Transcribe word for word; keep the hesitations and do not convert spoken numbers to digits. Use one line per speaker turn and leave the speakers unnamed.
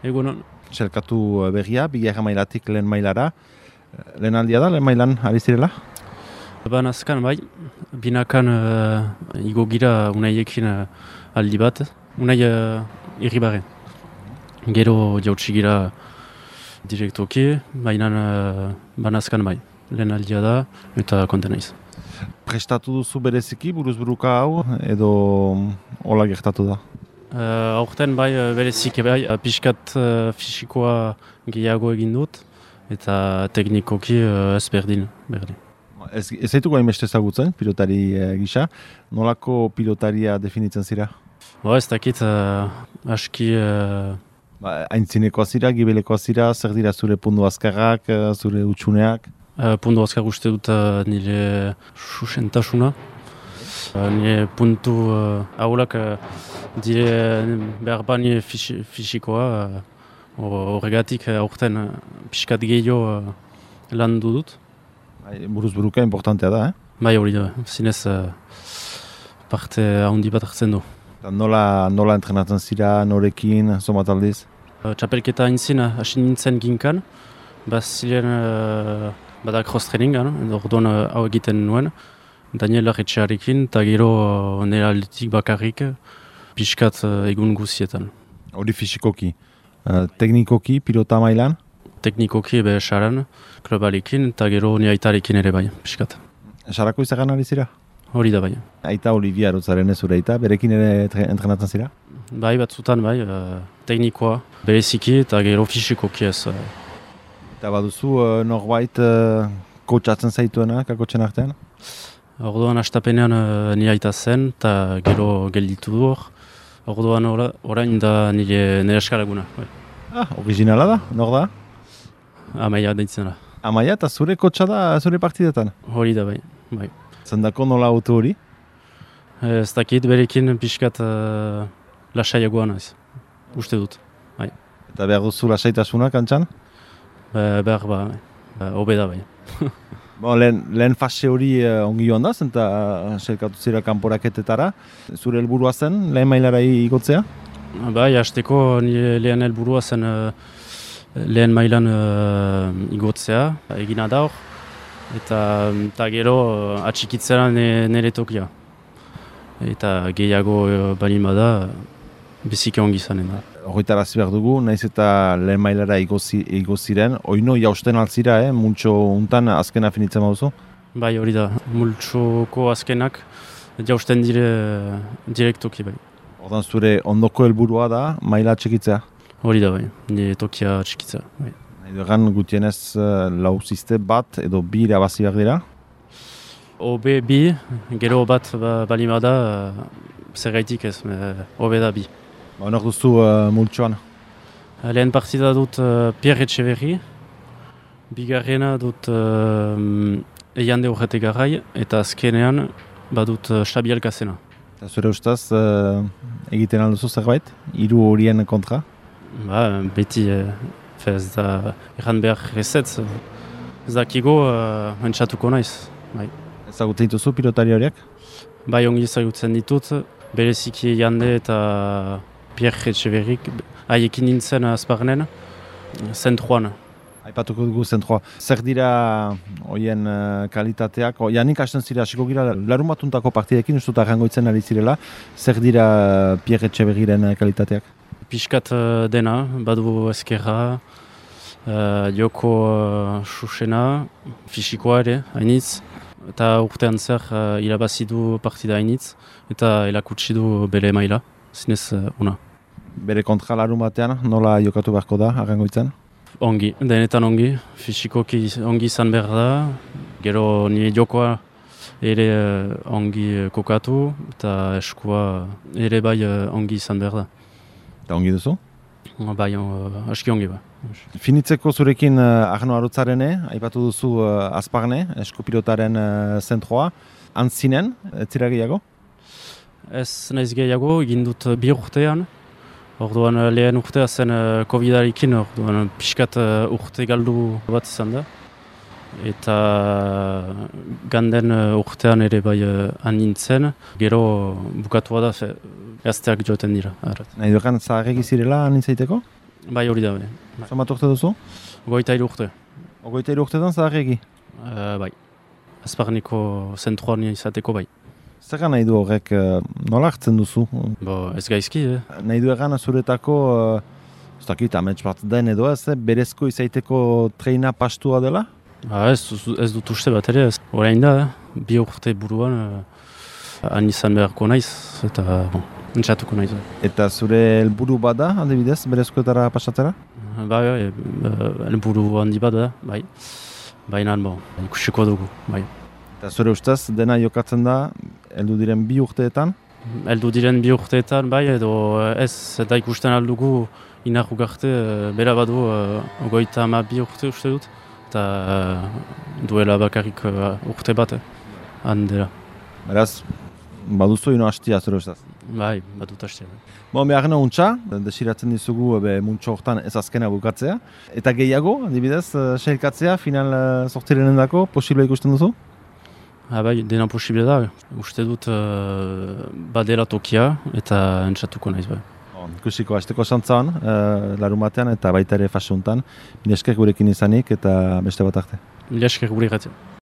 Egunon.
Selkatu berria, bigarren mailatik lehen mailara. Lehen aldia da, lehen mailan ari zirela?
Banazkan bai, binakan uh, igo gira unaiekin uh, aldi bat, unai uh, irribaren. Gero jautsi gira direktoki, baina uh, banazkan bai, lehen aldia da eta konten naiz.
Prestatu duzu bereziki buruzburuka hau edo hola gertatu da?
Uh, aurten bai bereziki bai, pixkat uh, fisikoa gehiago egin dut eta teknikoki uh, ez berdin, berdin.
Ez, ez zaituko hainbeste ezagutzen, pilotari e, gisa. Nolako pilotaria definitzen zira?
Ba, ez dakit, uh, aski... Uh...
Ba, aintzinekoa zira, gibelekoa zira, zer dira zure pundu azkarrak, zure utxuneak?
Uh, pundu azkar uste dut uh, nire susentasuna. Uh, nire puntu uh, ahulak uh, dire behar ba nire fisi, fisikoa. Uh, horregatik uh, aurten uh, pixkat gehiago uh, lan dut.
Buruzburuka importantea da, eh?
Bai, hori da, zinez uh, parte handi bat hartzen du.
Nola, nola entrenatzen zira, norekin, zomat aldiz?
Uh, Txapelketa intzin, hasi nintzen ginkan, bazilen uh, bada cross-trainingan, orduan uh, hau egiten nuen, Daniel Arretxearekin, eta gero uh, nire aldetik bakarrik, pixkat uh, egun guzietan.
Hori fisikoki, uh, teknikoki, pilota mailan?
Teknikoki ebe esaran, klubalekin, eta gero ni aitarekin ere bai, pixkat.
Esarako izagan ari zira?
Hori da bai.
Aita Olivia Arotzaren ez zure aita, berekin ere entrenatzen zira?
Bai, batzutan bai, uh, teknikoa, bereziki eta gero fisikoki ez. Uh.
Eta baduzu uh, norbait uh, kotxatzen zaituena, kakotxen artean?
Orduan astapenean uh, ni aita zen, eta gero gelditu du hor. Orduan ora, orain da nire, nire eskalaguna. Bai.
Ah, originala da, nor da?
Amaia deitzen da.
Amaia eta zure kotxa da zure partidetan?
Hori da bai, bai.
Zendako nola auto hori?
Ez dakit berekin pixkat uh, lasaiagoa naiz, uste dut. Bai.
Eta behar duzu lasaitasuna kantxan?
Be, behar ba, bai. Hobe da bai.
Bon, lehen, lehen fase hori uh, ongi joan da, zenta uh, selkatu zira kanporaketetara. Zure helburua zen, lehen mailara igotzea?
Bai, hasteko nire lehen helburua zen uh, lehen mailan uh, igotzea, egina da hor, eta, eta gero uh, atxikitzera nire tokia. Eta gehiago uh, balin bada, biziki ongi zanen da.
Horretarazi behar dugu, naiz eta lehen mailara igoziren, oino jausten altzira, eh? Multxo untan azkena finitzen baduzu?
Bai, hori da, multxoko azkenak jausten dire direktoki bai.
Ordan zure ondoko helburua da maila atxikitzea?
Hori da bai, nire tokia atxikitza. Bai.
Nahi dugan gutienez uh, lau ziste bat edo bi irabazi behar dira?
Obe bi, gero bat ba, balin bada, uh, zer gaitik ez, obe da bi.
Ba, honor duzu uh, multxoan?
Lehen partida dut uh, Pierre Etxeberri, bigarrena dut uh, Eiande Urrete Garai, eta azkenean badut uh, Xabi Alkazena.
Eta zure ustaz, uh, egiten alduzu zerbait? Hiru horien kontra?
Ba, beti, eh, ez da, erran behar ezetz, ez dakigo, uh, entxatuko naiz. Bai.
Ezagutzen dituzu pilotari horiek?
Bai, ongi ezagutzen ditut, bereziki Jande eta Pierre Etxeberrik, haiekin nintzen azparnen, zentroan.
Aipatuko dugu zentroa. Zer dira horien uh, kalitateak? O, janik hasten zira, hasiko gira, larun batuntako partidekin, uste dut arrangoitzen ari zirela. Zer dira uh, Pierre Etxeberriren uh, kalitateak?
Piskat uh, dena, badu ezkerra, uh, joko uh, susena, fisikoa ere, hainitz, eta urtean zer uh, irabazi du partida hainitz, eta elakutsi du bere maila, zinez uh, una.
Bere kontra larun batean, nola jokatu beharko da, arrangoitzen?
Ongi, denetan ongi, fisikoki ongi izan behar da, gero nire jokoa ere uh, ongi kokatu, eta eskua ere bai uh, ongi izan behar da.
Eta ongi duzu?
Bai, uh, aski ongi ba.
Finitzeko zurekin uh, Arno Arotzarene, aipatu duzu uh, azparne, eskupilotaren uh, zentroa. Antzinen, ez zira gehiago?
Ez naiz gehiago, egin dut bi urtean. Orduan lehen urtea zen uh, Covidarekin, orduan pixkat uh, urte galdu bat izan da. Eta ganden uh, urtean ere bai uh, anintzen, gero bukatua da, gazteak joten dira.
Nahi dukan zaharregi zirela anintzaiteko?
Bai hori da bere. Bai.
Zenbat urte duzu?
Goita hiru urte.
Ogoita hiru urtetan zaharregi?
Uh, bai. Azparneko zentroan izateko bai.
Zer nahi du horrek, uh, nola hartzen duzu?
Bo, ez gaizki, eh?
Nahi du egan zuretako, uh, ez dakit, amets bat den edo ez, eh? berezko izaiteko treina pastua dela?
Ba, ez, ez dut uste bat ere, ez. Horain da, eh? Bi urte buruan, uh, han izan beharko naiz, eta, bon, entzatuko naiz.
Eta zure helburu bada, adibidez, berezkoetara pasatzera?
Bai, bai, helburu handi bat da, bai. Baina, bon, ikusiko dugu, bai.
Eta zure ustez, dena jokatzen da, heldu diren bi urteetan?
Heldu diren bi urteetan, bai, edo ez, eta ikusten aldugu Inar Ugarte, bera badu, ogoita ama bi urte uste dut, eta duela bakarrik urte bat, handela.
Beraz, baduzu ino hastia zure ustez?
Bai, badut hastia.
Bon, behar gana untxa, desiratzen dizugu be, muntxo hortan ez azkena bukatzea. Eta gehiago, adibidez, sailkatzea, final sortirenen dako, posible ikusten duzu?
Ha, bai, dena posible da. Uste dut uh, badela tokia eta entzatuko naiz bai.
Bon, ikusiko, hasteko santzan, uh, larun batean eta baita ere fase honetan. Mila esker gurekin izanik eta beste bat arte.
Mila esker gure gatzea.